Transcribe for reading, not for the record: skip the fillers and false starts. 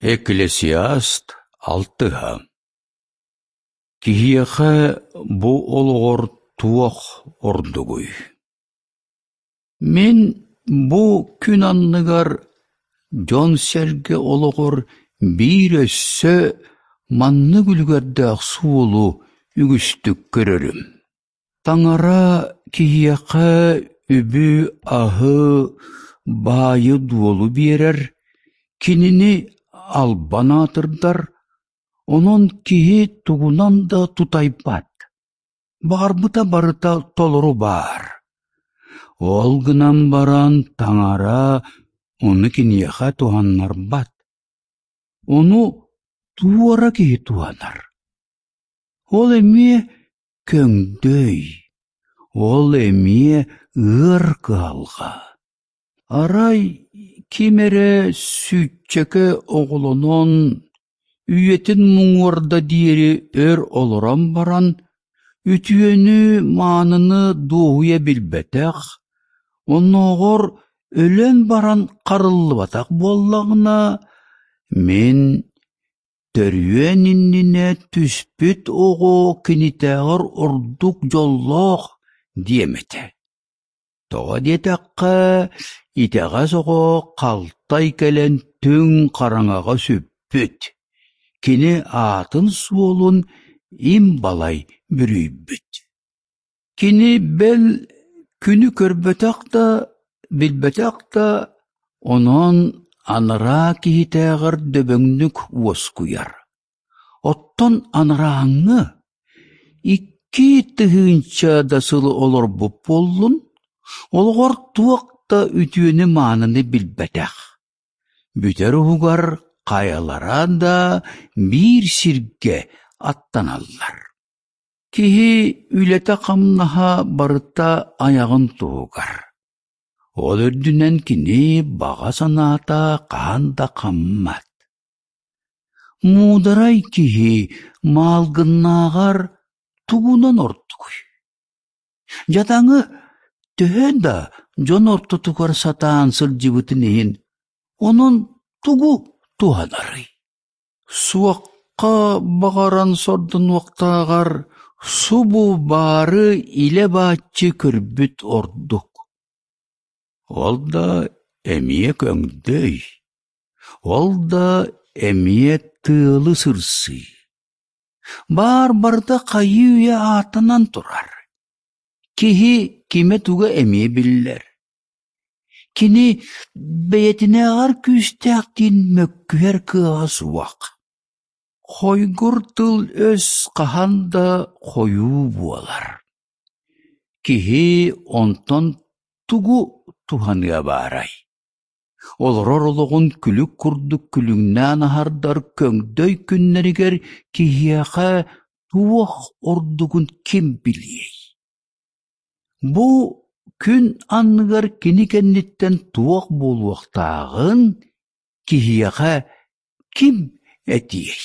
Экклесиаст алтыһа Киһиэхэ бу олоҕор туох ордугуй? Мин бу күн анныгар дьон-сэргэ олоҕор биир өссө маннык үлүгэрдээх суолу үгүстүк көрөрүм. Таҥара киһиэхэ үбү-аһы, баайы-дуолу биэрэр, кинини албан аатырдар, онон киһи тугунан да тутайбат, баҕарбыта барыта толору баар. Ол гынан баран Таҥара ону киниэхэ туһаннарбат, ону туора киһи туһанар. Ол эмиэ көҥдөй, ол эмиэ ыар кыһалҕа. Арай ким эрэ сүүччэкэ оҕолонон, үйэтин муҥуорда диэри өр олорон баран, үтүөнү-мааныны дуоһуйа билбэтэх, оннооҕор өлөн баран харыллыбатах буоллаҕына, мин Төрүөн иннинэ түспүт оҕо кинитээҕэр ордук дьоллоох диэм этэ. Тоҕо диэтэххэ, итэҕэс оҕо халтай кэлэн түҥ хараҥаҕа сүппүт, кини аатын-суолун им балай бүрүйбүт. Кини бэл күнү көрбөтөх да, билбэтэх да, онон анараа киһитээҕэр дөбөҥнүк уоскуйар. Оттон анарааҥҥы 2000 да сылы олорбут буоллун, олоҕор туох да үтүөнү-мааныны билбэтэх. Бүтэр уһугар хайалара да биир сиргэ аттаналлар. Киһи үлэтэ-хамнаһа барыта айаҕын туһугар. Ол үрдүнэн кини баҕа санаата хаһан да хаммат. Муударай киһи маалгыннааҕар тугунан ордугуй? Дьадаҥы төһө да дьон ортотугар сатаан сылдьыбытын иһин, онон тугу туһанарый? Суохха баҕаран сордонуохтааҕар субу баары илэ-бааччы көрбүт ордук. Ол да эмиэ көҥдөй, ол да эмиэ тыалы сырсыы. Баар барыта хайыы-үйэ ааттанан турар. Киһи кимэ-туга эмиэ биллэр. Кини бэйэтинээҕэр күүстээхтиин мөккүһэр кыаҕа суох. Хойгур тыл-өс хаһан да хойуу буолар. Киһи онтон тугу туһаныа баарай? Олорор олоҕун күлүк курдук күлүҥнээн аһардар көҥдөй күннэригэр киһиэхэ туох ордугун ким билиэй? Бу күн анныгар кини кэнниттэн туох буолуохтааҕын киһиэхэ ким этиэй?